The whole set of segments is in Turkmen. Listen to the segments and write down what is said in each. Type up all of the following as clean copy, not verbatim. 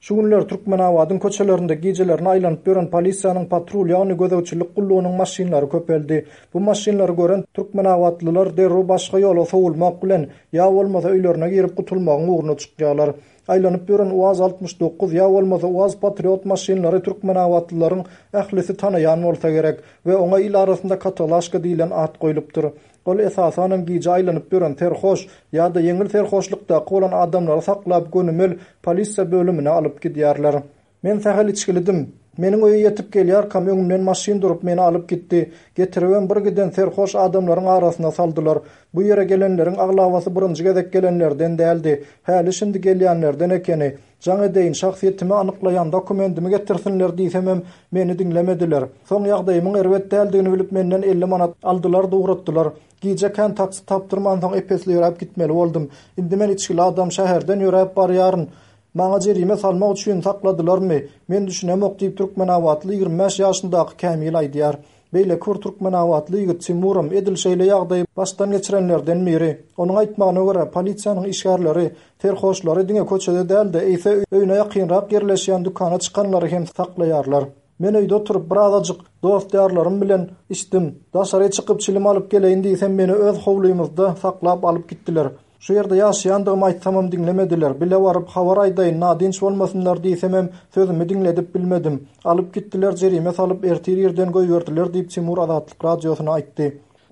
Şu günler Türkmenabadyň köçelerinde gijelerine aýlanyp ýören polisiýanyň patrul, ýagny gözegçilik gullugynyň maşynlary köpeldi. Bu maşynlary gören türkmenabatlylar derrew başga ýola sowulmak bilen, ýa bolmasa öýlerine girip gutulmagyň ugruna çykýarlar. Aýlanyp ýören UAZ 69 ýa bolmasa UAZ Patriot maşynlary türkmenabatlylaryň ählisi tanaýan bolsa gerek we oňa il arasynda katalaşka diýlen at goýlupdyr. Ol esasanam gije aýlanyp ýören serhoş ýa-da ýeňil serhoşlykdaky bolan adamlary saklap gönümel polisiýa bölümine alyp gidýärler. Men sähel içgilidim. Meniň öýe ýetip gelýärkam öňümden maşyn durup meni alyp gitdi. Getiribem bir giden serhoş adamlaryň arasyna saldylar. Bu ýere gelenleriň aglabasy birinji gezek gelenlerden däldi. Häli-şindi gelýänlerden ekeni. Jaň edeýin, şahsyýetimi anyklaýan dokumendimi getirsinler diýsemem, meni diňlemediler. Soň ýagdaýymyň erbet däldigini bilip menden 50 manat aldylar-da ugratdylar. Gije kän taksi tapdyrmansoň ep-esli ýöräp gitmeli boldum. Indi men içgili adam, şäherden ýöräp barýaryn. Maňa jerime salmak üçin sakladylarmy? Men düşünemok diýip, türkmenabatly 25 ýaşyndaky Kämil aýdýar. Beýleki bir türkmenabatly ýigit Timuram edil şeýle ýagdaýy başdan geçirenlerden biri. Onuň aýtmagyna görä, polisiýanyň işgärleri serhoşlary diňe köçede däl-de, eýse öýüne ýakynrak ýerleşýän dükana çykanlary hem saklaýarlar. Men öýde oturyp, birazajyk dost-ýarlarym bilen içdim. Daşary çykyp çilim alyp geleýin diýsem, meni öz howlymyzda saklap alyp gitdiler. Şu ýerde ýaşaýandygymy aýtsamam diňlemediler. Bile baryp, habar aýdaýyn, nadynç bolmasynlar diýsemem, sözümi diňledip bilmedim. Alyp gitdiler, jerime salyp, ertir irden goýberdiler diýip, Timur Azatlyk Radiosyna aýtdy.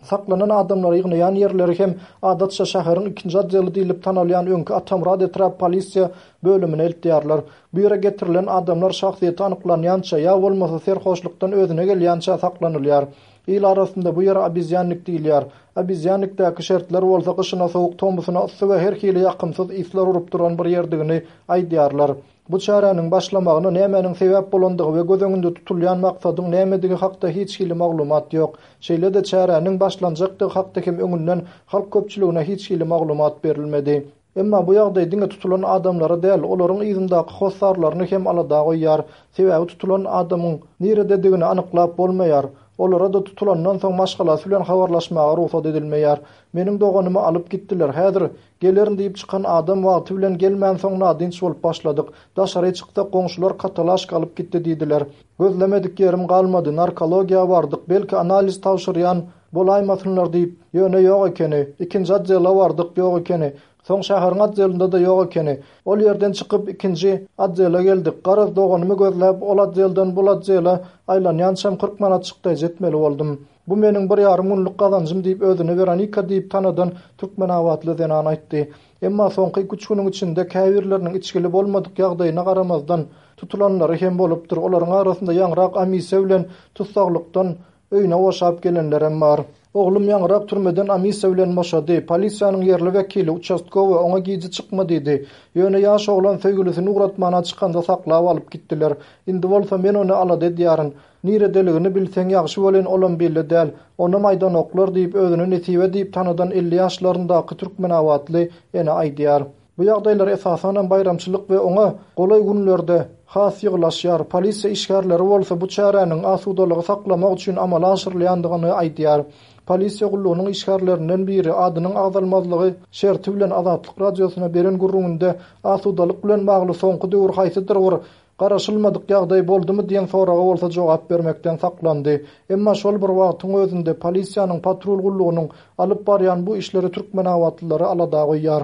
Saklanan adamlary ýygnaýan ýerleri hem adatça şäheriň ikinji otdeli diýlip tanalýan öňki Atamyrat etrap polisiýa bölümine eltýärler. Bu ýere getirilen adamlar şahsyýeti anyklanýança ýa bolmasa serhoşlukdan özüne gelýänçä saklanylýar. Il arasynda bu ýere obezýannik diýilýär. Obezýannikdäki şertler bolsa gyşyna sowuk, tomusyna yssy we her hili ýakymsyz yslar urup duran bir ýerdigini aýdýarlar. Bu çäräniň başlamagyna nämäniň sebäp bolandygy we göz öňünde tutulýan maksadyň nämedigi hakda hiç hili maglumat ýok. Şeýle-de çäräniň başlanjakdygy hakda hem öňünden halk köpçüligine hiç hili maglumat berilmedi. Emma bu ýagdaý diňe tutulan adamlary däl, olaryň yzyndaky hossarlaryny hem alada goýýar. Sebäbi tutulan adamyň nirededigini anyklap bolmaýar. Olara-da tutulandan soň maşgalasy bilen habarlaşmaga rugsat edilmeýär. Meniň doganymy alyp gitdiler. Häzir gelerin diýip çykan adam wagty bilen gelmänsoň nadynç bolup başladyk. Daşary çyksak goňşular katalaşka alyp gitdi diýdiler. Gözlemedik ýerim galmady, narkologiýa bardyk, belki analiz tabşyrýan bolaýmasynlar diýip, ýöne ýok ekeni. Ikinji otdela bardyk, ýok ekeni. Soň şäheriň otdelinde-de ýok ekeni. Ol ýerden çykyp, ikinji otdela geldik. Garaz, doganymy gözläp, ol otdelden bul otdela aýlanýançam 40 manat çykdaýjy etmeli boldum. Bu meniň bir ýarym günlük gazanjym diýip, özüni Weronika diýip tanadan türkmenabatly zenan aýtdy. Emma soňky iki-üç günüň içinde käbirleriniň içgili bolmadyk ýagdaýyna garamazdan, tutulanlary hem bolupdyr. Olaryň arasynda ýaňrak amisiýa bilen tussaglykdan öýüne boşap gelenlerem bar. Oglum ýaňrak türmeden amisiýa bilen boşady. Polisiýanyň ýerli wekili, uçastkowy, oňa gije çykma diýdi. Ýöne ýaş oglan söýgülisini ugratmana çykanda saklap alyp gitdiler. Indi bolsa men ony alada edýärin. Niredeligini bilseň ýagşy welin olam belli däl. Onam aýdanoklar diýip özüni Nesibe diýip tanadan 50 ýaşlaryndaky türkmenabatly ene aýdýar. Bu ýagdaýlar esasanam baýramçylyk we oňa golaý günlerde has ýygylaşýar. Polisiýa işgärleri bolsa bu çäräniň asudalygy saklamak üçin amala aşyrylýandygyny aýdýar. Polisiýa gullugynyň işgärlerinden biri adynyň agzalmazlygy şerti bilen Azatlyk Radiosyna beren gürrüňinde asudalyk bilen bagly soňky döwür haýsydyr bir Garaşylmadyk ýagdaý boldumy diýen soraga bolsa jogap bermekden saklandy. Emma şol bir wagtyň özünde polisiýanyň patrul gullugynyň alyp barýan bu işleri türkmenabatlylary alada goýýar.